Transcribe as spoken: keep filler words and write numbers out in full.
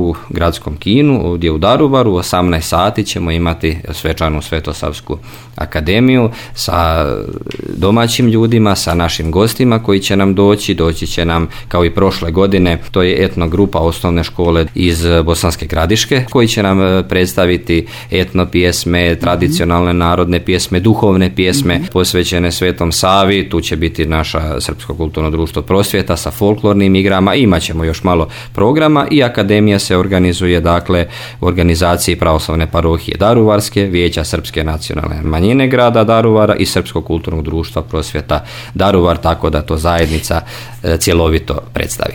u gradskom kinu, ovdje u Daruvaru. U osamnaest sati ćemo imati svečanu Svetosavsku akademiju sa domaćim ljudima, sa našim gostima koji će nam doći. Doći će nam kao i prošle godine, to je etno grupa osnovne škole iz Bosanske Gradiške koji će nam predstaviti etno pjesme, tradicionalne narodne pjesme, duhovne pjesme posvećene Svetom Savi. Tu će biti naša Srpsko kulturno društvo Prosvjeta sa folklornim igrama. Imat ćemo još malo programa i akademija se organizuje dakle u organizaciji Pravoslavne parohije Daruvarske, Vijeća Srpske nacionalne manjine grada Daruvara i Srpskog kulturnog društva Prosvjeta Daruvar, tako da to zajednica cjelovito predstavi.